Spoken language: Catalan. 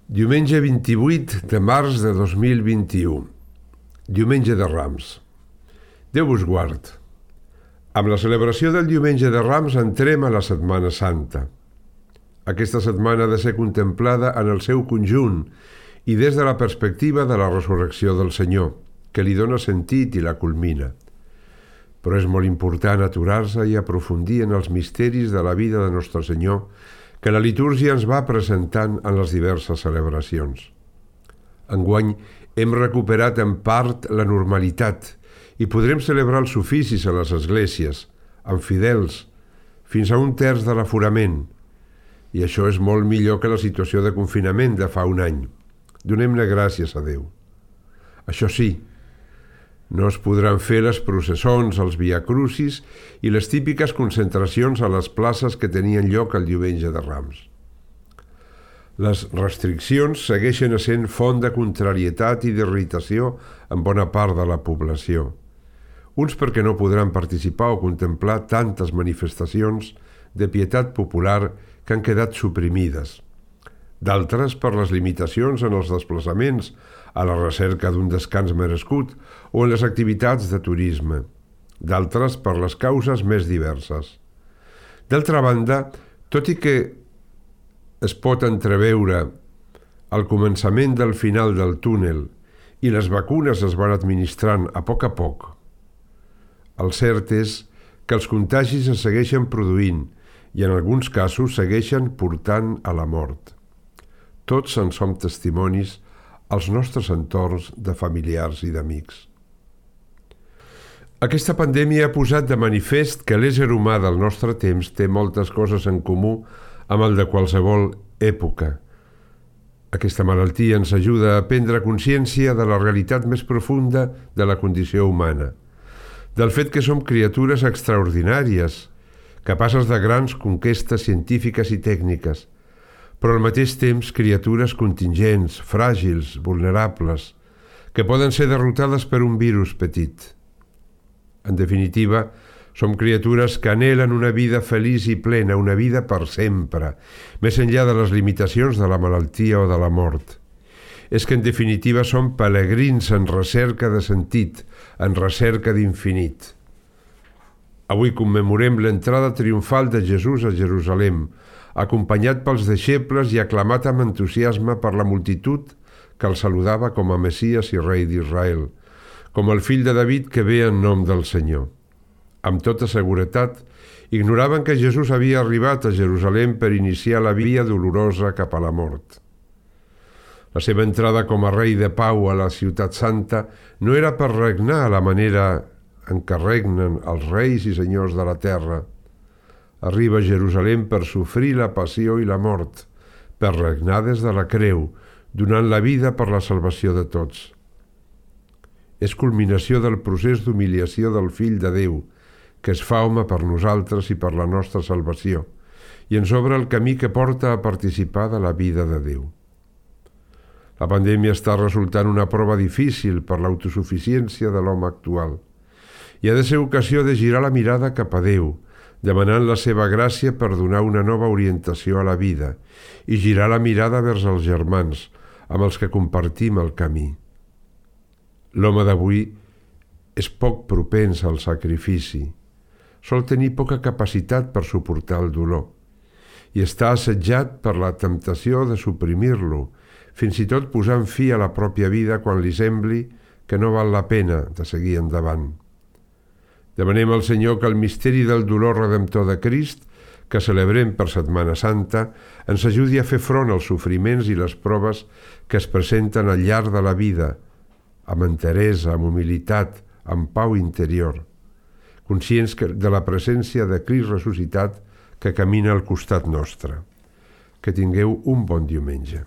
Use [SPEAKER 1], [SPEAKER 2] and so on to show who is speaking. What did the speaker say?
[SPEAKER 1] Diumenge 28 de març de 2021, Diumenge de Rams. Déu vos guard. Amb la celebració del Diumenge de Rams entrem a la Setmana Santa. Aquesta setmana ha de ser contemplada en el seu conjunt i des de la perspectiva de la resurrecció del Senyor, que li dona sentit i la culmina. Però és molt important aturar-se i aprofundir en els misteris de la vida de Nostre Senyor que la litúrgia ens va presentant en les diverses celebracions. Enguany hem recuperat en part la normalitat i podrem celebrar els oficis a les esglésies, amb fidels, fins a 1/3 de l'aforament. I això és molt millor que la situació de confinament de fa un any. Donem-ne gràcies a Déu. Això sí, no es podran fer les processons, els viacrucis i les típiques concentracions a les places que tenien lloc el Diumenge de Rams. Les restriccions segueixen essent font de contrarietat i d'irritació en bona part de la població. Uns perquè no podran participar o contemplar tantes manifestacions de pietat popular que han quedat suprimides. D'altres per les limitacions en els desplaçaments a la recerca d'un descans merescut o en les activitats de turisme. D'altres per les causes més diverses. D'altra banda, tot i que es pot entreveure el començament del final del túnel i les vacunes es van administrant a poc, el cert és que els contagis es segueixen produint i en alguns casos segueixen portant a la mort. Tots en som testimonis als nostres entorns de familiars i d'amics. Aquesta pandèmia ha posat de manifest que l'ésser humà del nostre temps té moltes coses en comú amb el de qualsevol època. Aquesta malaltia ens ajuda a prendre consciència de la realitat més profunda de la condició humana, del fet que som criatures extraordinàries, capaces de grans conquestes científiques i tècniques, però al mateix temps criatures contingents, fràgils, vulnerables, que poden ser derrotades per un virus petit. En definitiva, som criatures que anhelen una vida feliç i plena, una vida per sempre, més enllà de les limitacions de la malaltia o de la mort. És que en definitiva som pelegrins en recerca de sentit, en recerca d'infinit. Avui commemorem l'entrada triomfal de Jesús a Jerusalem, acompanyat pels deixebles i aclamat amb entusiasme per la multitud que el saludava com a Messies i Rei d'Israel, com el fill de David que ve en nom del Senyor. Amb tota seguretat, ignoraven que Jesús havia arribat a Jerusalem per iniciar la via dolorosa cap a la mort. La seva entrada com a rei de pau a la ciutat santa no era per regnar a la manera en què regnen els reis i senyors de la terra. Arriba a Jerusalem per sofrir la passió i la mort, per regnar des de la creu, donant la vida per la salvació de tots. És culminació del procés d'humiliació del Fill de Déu, que es fa home per nosaltres i per la nostra salvació, i ens obre el camí que porta a participar de la vida de Déu. La pandèmia està resultant una prova difícil per l'autosuficiència de l'home actual, i ha de ser ocasió de girar la mirada cap a Déu, demanant la seva gràcia per donar una nova orientació a la vida i girar la mirada vers els germans amb els que compartim el camí. L'home d'avui és poc propens al sacrifici, sol tenir poca capacitat per suportar el dolor i està assetjat per la temptació de suprimir-lo, fins i tot posant fi a la pròpia vida quan li sembli que no val la pena de seguir endavant. Demanem al Senyor que el misteri del dolor redemptor de Crist, que celebrem per Setmana Santa, ens ajudi a fer front als sofriments i les proves que es presenten al llarg de la vida, amb enteresa, amb humilitat, amb pau interior, conscients de la presència de Crist ressuscitat que camina al costat nostre. Que tingueu un bon diumenge.